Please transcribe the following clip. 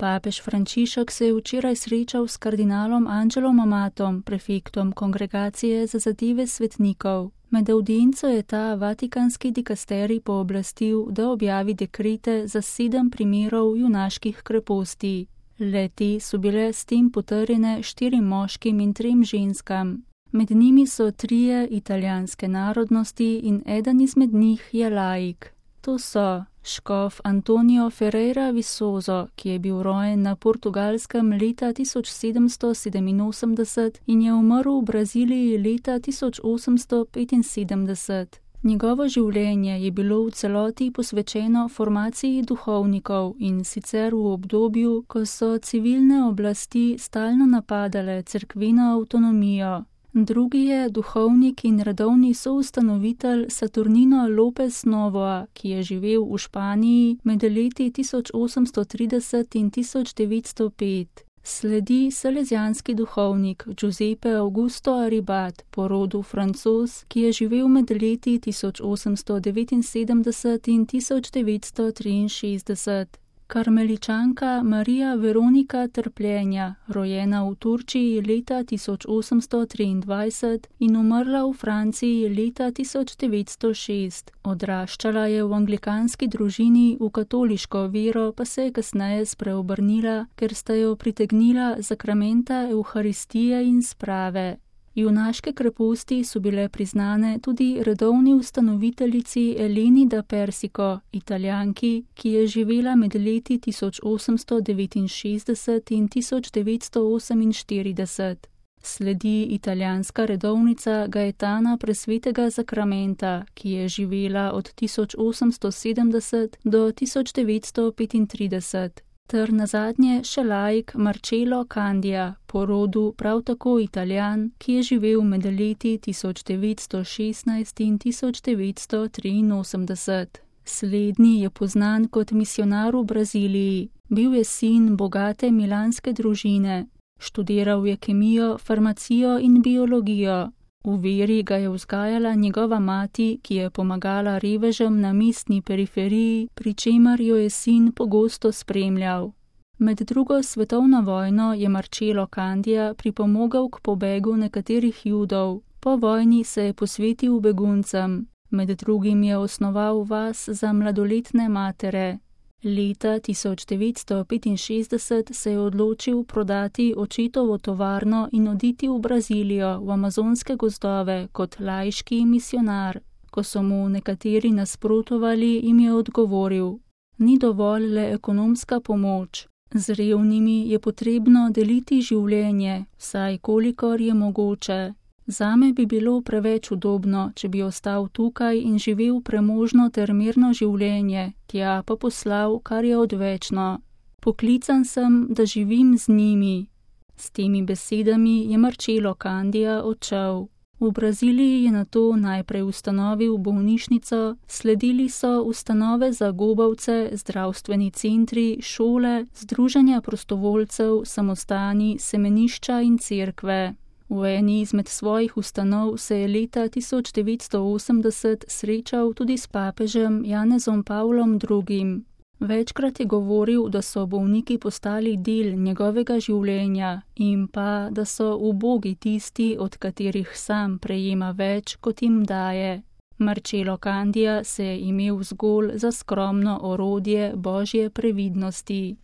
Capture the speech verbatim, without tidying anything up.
Papež Frančišek se je včeraj srečal s kardinalom Angelom Amatom, prefektom Kongregacije za zadeve svetnikov. Med avdienco je ta vatikanski dikasterij pooblastil, da objavi dekrete za sedem primerov junaških kreposti. Le-te so bile s tem potrjene štirim moškim in trem ženskam. Med njimi so trije italijanske narodnosti in eden izmed njih je laik. To so škof Antonio Ferreira Visoso, ki je bil rojen na Portugalskem leta tisoč sedemsto sedeminosemdeset in je umrl v Braziliji leta tisoč osemsto petinsedemdeset. Njegovo življenje je bilo v celoti posvečeno formaciji duhovnikov in sicer v obdobju, ko so civilne oblasti stalno napadale cerkveno avtonomijo. Drugi je duhovnik in redovni soustanovitelj Saturnino López Novoa, ki je živel v Španiji med leti tisoč osemsto trideset in tisoč devetsto pet. Sledi salezijanski duhovnik Giuseppe Augusto Aribat, po rodu Francoz, ki je živel med leti tisoč osemsto devetinsedemdeset in tisoč devetsto triinšestdeset. Karmeličanka Marija Veronika Trpljenja, rojena v Turčiji leta tisoč osemsto triindvajset in umrla v Franciji leta tisoč devetsto šest. Odraščala je v anglikanski družini, v katoliško vero pa se je kasneje spreobrnila, ker sta jo pritegnila zakramenta Evharistije in sprave. Junaške kreposti so bile priznane tudi redovni ustanoviteljici Eleni da Persico, Italijanki, ki je živela med leti tisoč osemsto devetinšestdeset in tisoč devetsto oseminštirideset. Sledi italijanska redovnica Gaetana Presvetega zakramenta, ki je živela od tisoč osemsto sedemdeset do tisoč devetsto petintrideset. Ter nazadnje še laik Marcello Candia, po rodu prav tako Italijan, ki je živel med leti tisoč devetsto šestnajst in tisoč devetsto triinosemdeset. Slednji je poznan kot misionar v Braziliji. Bil je sin bogate milanske družine. Študiral je kemijo, farmacijo in biologijo. V veri ga je vzgajala njegova mati, ki je pomagala revežem na mestni periferiji, pri čemer jo je sin pogosto spremljal. Med drugo svetovno vojno je Marcello Candia pripomogel k pobegu nekaterih Judov. Po vojni se je posvetil beguncem. Med drugim je osnoval vas za mladoletne matere. Leta tisoč devetsto petinšestdeset se je odločil prodati očetovo tovarno in oditi v Brazilijo, v amazonske gozdove, kot laiški misionar. Ko so mu nekateri nasprotovali, jim je odgovoril: ni dovolj le ekonomska pomoč. Z revnimi je potrebno deliti življenje, vsaj kolikor je mogoče. Zame bi bilo preveč udobno, če bi ostal tukaj in živel premožno ter mirno življenje, tja pa poslal, kar je odvečno. Poklican sem, da živim z njimi. S temi besedami je Marcello Candia odšel. V Braziliji je nato najprej ustanovil bolnišnico, sledili so ustanove za gobavce, zdravstveni centri, šole, združenja prostovoljcev, samostani, semenišča in cerkve. V eni izmed svojih ustanov se je leta tisoč devetsto osemdeset srečal tudi s papežem Janezom Pavlom drugim. Večkrat je govoril, da so bolniki postali del njegovega življenja in pa, da so ubogi tisti, od katerih sam prejema več, kot jim daje. Marcello Candia se je imel zgolj za skromno orodje Božje previdnosti.